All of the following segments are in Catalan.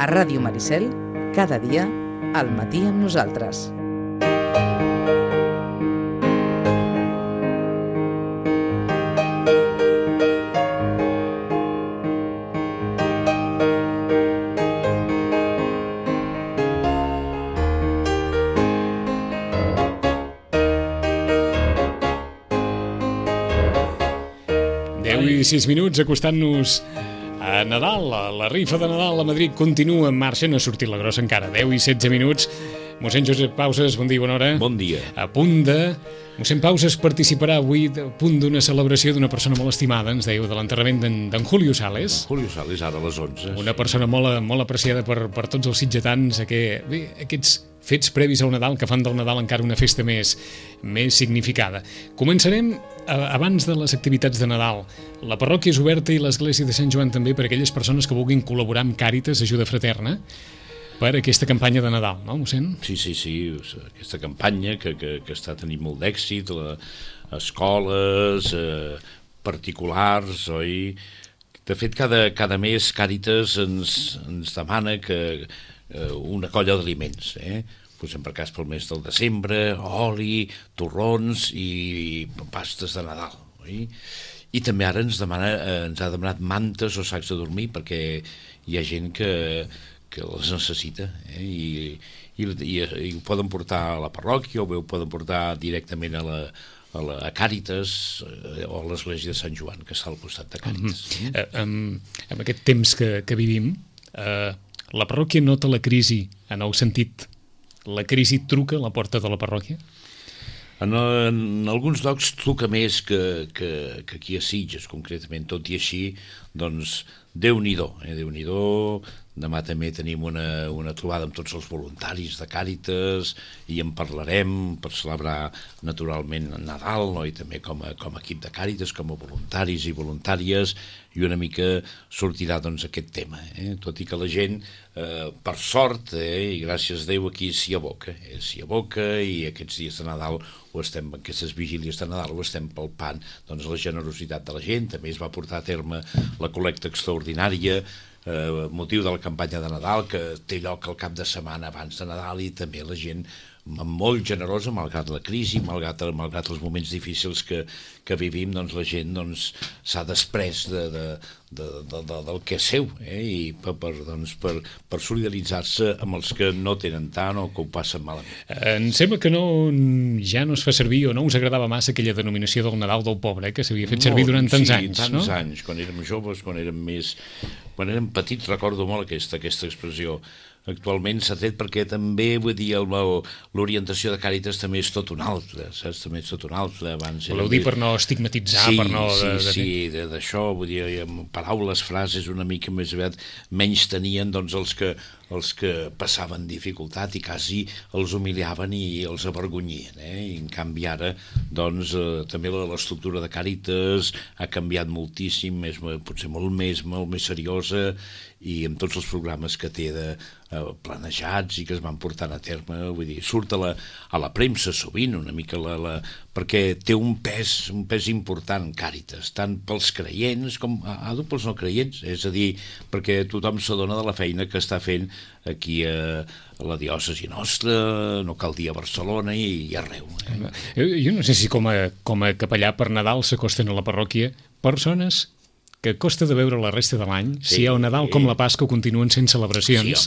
A Ràdio Maricel, cada dia, al matí amb nosaltres. I 6 minuts acostant-nos a Nadal, la rifa de Nadal a Madrid continua en marxa, no ha sortit la grossa encara, 10 i 16 minuts. Mossèn Josep Pauses, bon dia, bona hora. Bon dia. A punt de... Mossèn Pauses participarà avui a punt d'una celebració d'una persona molt estimada, ens dèieu, de l'enterrament d'en Julio Sales. Julio Sales, ara a les 11. Una persona molt apreciada per tots els sitgetans, aquests fets previs al Nadal que fan del Nadal encara una festa més significada. Començarem abans de les activitats de Nadal. La parròquia és oberta i l'església de Sant Joan també per a aquelles persones que vulguin col·laborar amb Càritas, Ajuda Fraterna, per aquesta campanya de Nadal, no, mossèn? Sí, aquesta campanya que està tenint molt d'èxit, escoles, particulars, oi? De fet, cada mes Càritas ens demana que una colla d'aliments, posem per cas pel mes del desembre, oli, torrons i pastes de Nadal, oi? I també ara ens ha demanat mantes o sacs de dormir perquè hi ha gent que les necessita, i ho poden portar a la parròquia o bé ho poden portar directament a Càritas o a l'església de Sant Joan, que està al costat de Càritas. En aquest temps que vivim, la parròquia nota la crisi en el sentit, la crisi truca a la porta de la parròquia? En alguns llocs truca més que aquí a Sitges, concretament, tot i així, doncs, Déu-n'hi-do, Déu-n'hi-do. Demà també tenim una trobada amb tots els voluntaris de Càritas i en parlarem per celebrar naturalment Nadal, no? I també com a equip de Càritas, com a voluntaris i voluntàries, i una mica sortirà doncs aquest tema, tot i que la gent, per sort, i gràcies a Déu aquí s'hi aboca, i aquests dies de Nadal aquestes vigílies de Nadal ho estem palpant, doncs la generositat de la gent. També es va portar a terme la col·lecta extraordinària motiu de la campanya de Nadal, que té lloc el cap de setmana abans de Nadal, i també la gent molt generosa, malgrat la crisi, malgrat els moments difícils que vivim, doncs la gent s'ha desprès del que és seu, i per solidaritzar-se amb els que no tenen tant o que ho passen malament. Em sembla que ja no es fa servir o no us agradava massa aquella denominació del Nadal del pobre, que s'havia fet servir durant tants anys, no? Sí, tants anys, quan érem joves, quan érem petits, recordo molt aquesta expressió. Actualment s'ha tret perquè també, vull dir, l'orientació de Càritas també és tot una altra, saps? També és tot una altra. Voleu dir per no estigmatitzar, per no... Sí, d'això, vull dir, amb paraules, frases una mica més aviat menys tenien, doncs, els que passaven dificultat i quasi els humiliaven i els avergonyien, I en canvi ara, doncs, també l'estructura de Càritas ha canviat moltíssim, potser molt més seriosa, i amb tots els programes que té planejats i que es van portant a terme, vull dir, surt a la premsa sovint una mica perquè té un pes important Càritas, tant pels creients com pels no creients, és a dir, perquè tothom s'adona de la feina que està fent aquí a la diòcesi nostra, no cal dir a Barcelona i arreu. Jo no sé si com a capellà per Nadal s'acosten a la parròquia persones que costa de veure la resta de l'any, si el Nadal com la Pasqua continuen sent celebracions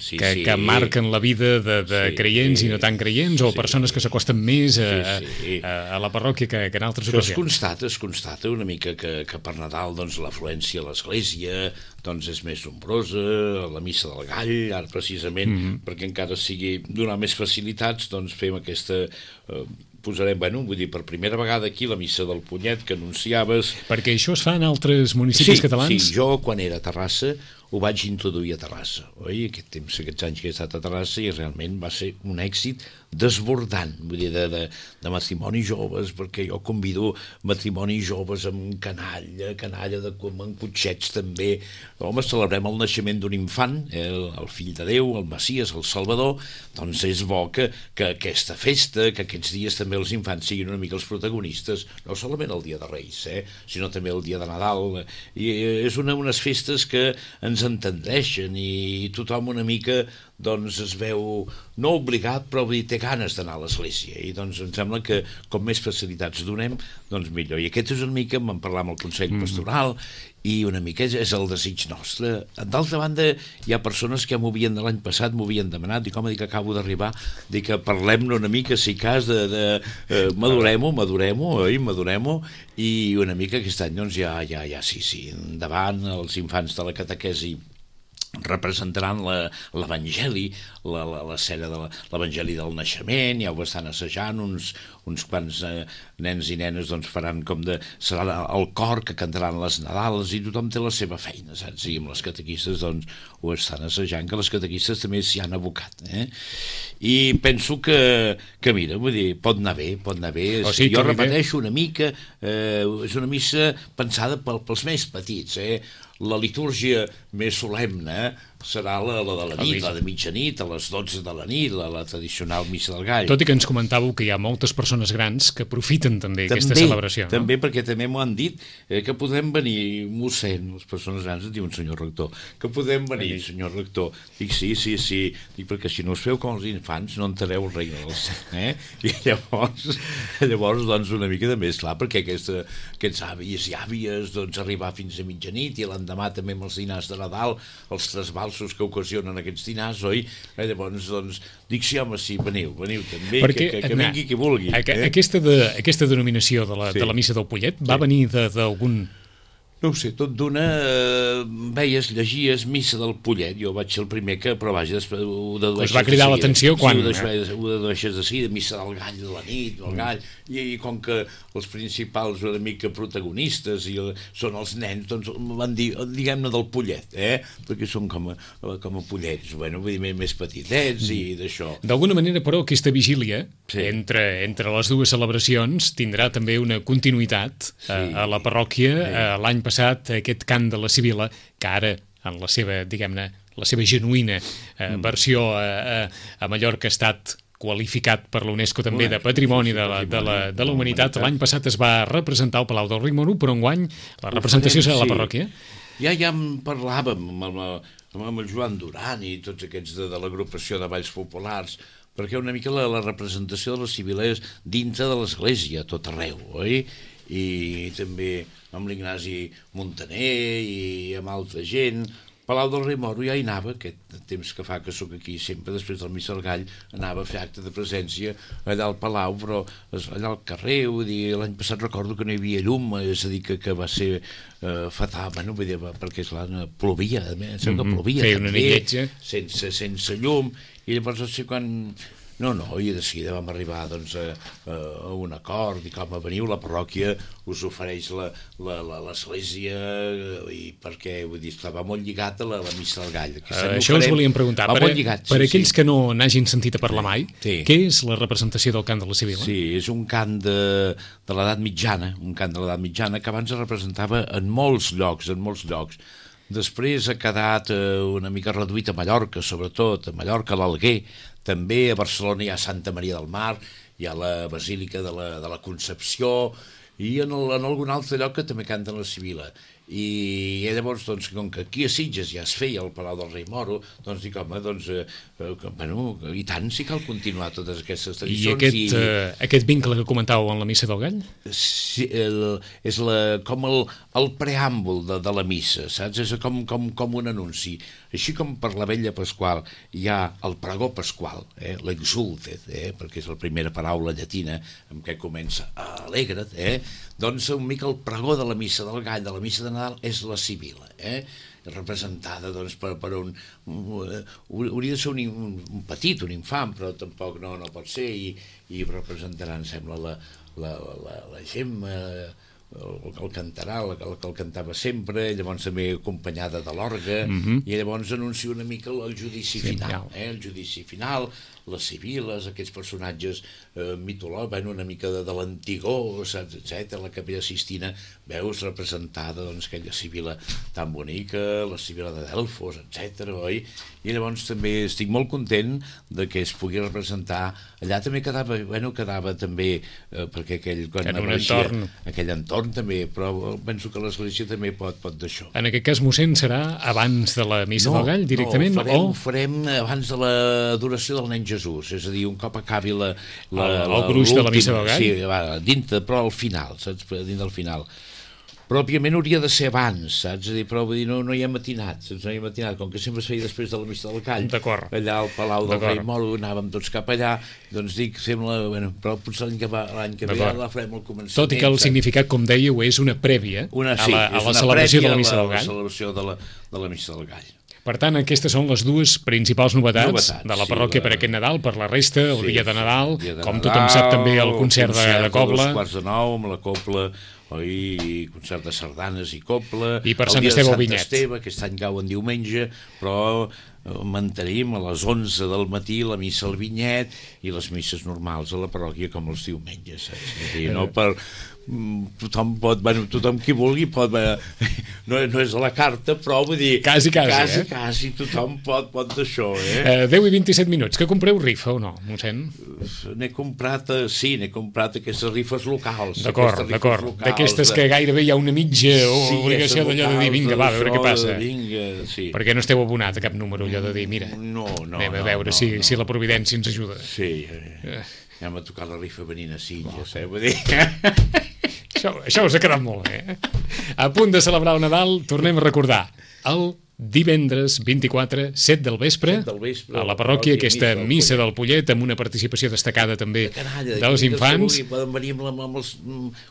que marquen la vida de creients i no tan creients, o persones que s'acosten més a la parròquia que en altres ocasions. Es constata una mica que per Nadal l'afluència a l'església és més nombrosa, la missa del gall, ara precisament perquè encara sigui donar més facilitats, fem aquesta... Posarem, vull dir, per primera vegada aquí la missa del Punyet que anunciaves... Perquè això es fa en altres municipis catalans? Sí, jo quan era a Terrassa ho vaig introduir a Terrassa, oi? Aquests anys que he estat a Terrassa, i realment va ser un èxit desbordant, vull dir, de matrimonis joves, perquè jo convido matrimonis joves amb canalla amb cotxets també. Home, celebrem el naixement d'un infant, el fill de Déu, el Messies, el Salvador, doncs és bo que aquesta festa, que aquests dies també els infants siguin una mica els protagonistes, no solament el dia de Reis, sinó també el dia de Nadal, i és unes festes que ens entendreixen i tothom una mica doncs es veu no obligat, però té ganes d'anar a l'església, i doncs em sembla que com més facilitats donem, doncs millor. I aquest és una mica, vam parlar amb el Consell Pastoral, i una mica és el desig nostre. D'altra banda, hi ha persones que l'any passat m'ho havien demanat, dic, home, acabo d'arribar, dic que parlem-ne una mica, si cas, madurem-ho, i una mica aquest any, doncs ja, sí, endavant, els infants de la catequesi representaran l'Evangeli, l'escena de l'Evangeli del naixement, ja ho estan assajant, uns quants nens i nenes doncs faran serà el cor que cantaran les Nadales, i tothom té la seva feina, saps? I amb les catequistes doncs ho estan assajant, que les catequistes també s'hi han abocat, i penso que mira, vull dir, pot anar bé, jo repeteixo una mica, és una missa pensada pels més petits, la litúrgia més solemne serà la de la nit, la de mitjanit, a les 12 de la nit, la tradicional missa del gall. Tot i que ens comentàveu que hi ha moltes persones grans que aprofiten també aquesta celebració. També, perquè també m'ho han dit, que podem venir, mossèn, les persones grans et diuen senyor rector, que podem venir, senyor rector. Dic, sí, dic, perquè si no us feu com els infants no entrareu el regne del cel, I llavors, doncs, una mica de més, clar, perquè aquests avis i àvies, doncs, arribar fins a mitjanit, i l'endemà també amb els dinars de Nadal, els trasbalsos que ocasionen aquests dinars, oi? Llavors, doncs, dic, sí, home, sí, veniu també, perquè, que vingui qui vulgui. Aquesta denominació de la missa del Pollet va venir d'algun... No ho sé, tot d'una veies, llegies missa del Pollet, jo vaig ser el primer que, però vaja, després ho dedueixes... Us va cridar l'atenció quan... Sí, ho dedueixes de sí, de missa del gall de la nit, del gall, i com que els principals una mica protagonistes són els nens, doncs van dir, diguem-ne del Pollet, perquè són com a pollets, bueno, vull dir, més petitets i d'això. D'alguna manera, però, aquesta vigília, entre les dues celebracions, tindrà també una continuïtat a la parròquia. L'any passat, aquest cant de la Sibil·la, que ara, en la seva, diguem-ne, la seva genuïna versió a Mallorca ha estat qualificat per l'UNESCO també de Patrimoni de la Humanitat. L'any passat es va representar al Palau del Rímoro, però enguany la representació serà a la parròquia. Ja en parlàvem amb el Joan Duran i tots aquests de l'agrupació de Balls Populars, perquè una mica la representació de la Sibil·la és dintre de l'església, tot arreu, oi? I també amb l'Ignasi Montaner i amb altra gent. Palau del Rímoro ja hi anava, aquest temps que fa que sóc aquí sempre, després del Missa del Gall, anava a fer acte de presència allà al Palau, però allà al carrer, vull dir, l'any passat recordo que no hi havia llum, és a dir, que va ser fatal, bueno, vull dir, perquè esclar, plovia, sembla que plovia, feia una nitletja, sense llum, i llavors no sé quan... No, i de seguida vam arribar doncs, a un acord, i com veniu, la parròquia us ofereix l'església, i perquè, vull dir, va molt lligat a la missa del gall. Això us volíem preguntar, per aquells que no n'hagin sentit a parlar mai, què és la representació del cant de la Sibil·la? Sí, és un cant de l'edat mitjana, que abans es representava en molts llocs, Després ha quedat una mica reduït a Mallorca, sobretot, a Mallorca, a l'Alguer, també a Barcelona hi ha Santa Maria del Mar, hi ha la Basílica de la Concepció, i en algun altre lloc que també canten la Sibil·la. I llavors, doncs, com que aquí a Sitges ja es feia el Palau del Rei-Moro, doncs dic, home, doncs, bueno, i tant, sí cal continuar totes aquestes tradicions. I aquest vincle que comentàveu en la Missa del Gall? Sí, és com el preàmbul de la missa, saps? És com un anunci. Així com per la Vetlla Pasqual hi ha el pregó pasqual, l'exultet, perquè és la primera paraula llatina amb què comença alegra't, doncs una mica el pregó de la Missa del Gall, de la Missa de Nadal, és la Sibil·la, representada doncs, per un... hauria de ser un petit, un infant, però tampoc no pot ser, i representarà, em sembla, la Gemma, el cantarà, el cantava sempre, llavors també acompanyada de l'orgue, i llavors anuncia una mica el judici final, el judici final, les sibil·les, aquests personatges mitològics, una mica de l'Antigó, saps, etc. La Capella Sistina, veus representada, doncs, aquella sibil·la tan bonica, la sibil·la de Delfos, etc. oi? I llavors també estic molt content de que es pugui representar. Allà també quedava també, perquè aquell entorn també, però penso que l'Església també pot d'això. En aquest cas, mossèn, serà abans de la Missa del Gall, directament? No, ho farem abans de l'adoració del nen Jesús, és a dir, un cop acabi el gruix de la Missa del Gall? Sí, dintre, però al final, saps? Dintre del final. Però, òbviament, hauria de ser abans, saps? És a dir, però vull dir, no hi ha matinat, saps? No hi ha matinat, com que sempre es feia després de la Missa del Gall. D'acord. Allà al Palau del Rei Moro, anàvem tots cap allà, doncs dic, fem-la, però potser l'any que ve ja la farem al començament. Tot i que el significat, com dèieu, és una prèvia a la celebració de la Missa del Gall. La celebració de la Missa del Gall. Per tant, aquestes són les dues principals novetats de la parròquia per aquest Nadal. Per la resta, el dia de Nadal, com tothom sap també, el concert de Cobla. A 2:45, amb la Cobla, concert de sardanes i Cobla. I per Sant Esteve al Vinyet. Aquest any cau en diumenge, però mantenim a les 11 del matí la missa al Vinyet i les misses normals a la parròquia com els diumenges. No per... tothom qui vulgui pot, no és a la carta, però vull dir quasi tothom pot d'això. 10 i 27 minuts, que compreu rifa o no, mossèn? N'he comprat aquestes rifes locals. D'acord, d'aquestes que gairebé hi ha una mitja obligació d'allò de dir, vinga, va, a veure què passa. Perquè no esteu abonat a cap número, allò de dir, mira, anem a veure si la providència ens ajuda. Sí, ja m'ha tocat la rifa venint a Sitges, vull dir... Això us ha quedat molt bé. A punt de celebrar el Nadal, tornem a recordar el divendres 24, 7 del vespre, a la parròquia, aquesta missa del Pollet, amb una participació destacada també dels infants. Poden venir amb els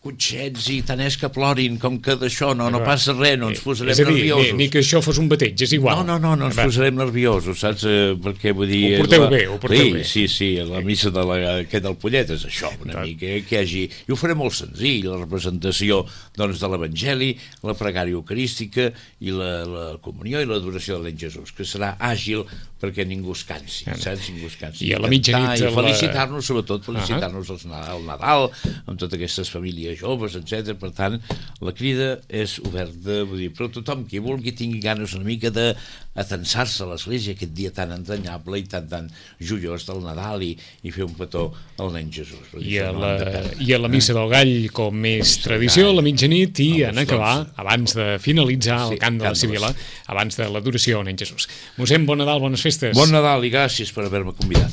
cotxets i tant és que plorin, com que d'això no passa res, no ens posarem nerviosos. Ni que això fos un bateig, és igual. No ens posarem nerviosos, saps? Perquè vull dir... Ho porteu bé. Sí, la missa del Pollet és això, una mica, que hi hagi... I ho farem molt senzill, la representació de l'Evangeli, la pregària eucarística i la comunió i l'adoració de l'Any Jesús, que serà àgil perquè ningú es cansi, saps? Ningú es cansi. I a la mitjanit... I felicitar-nos, sobretot felicitar-nos al Nadal, amb totes aquestes famílies joves, etc. Per tant, la crida és oberta, vull dir, però tothom qui vulgui tingui ganes una mica d'atensar-se a l'església aquest dia tan entranyable i tan joiós del Nadal i fer un petó al nen Jesús. I a la missa del Gall, com més tradició, a la mitjanit, i en acabar, abans de finalitzar el cant de la Sibil·la, abans de l'adoració al nen Jesús. Mossèn, bon Nadal, bones festes. Bon Nadal i gràcies per haver-me convidat.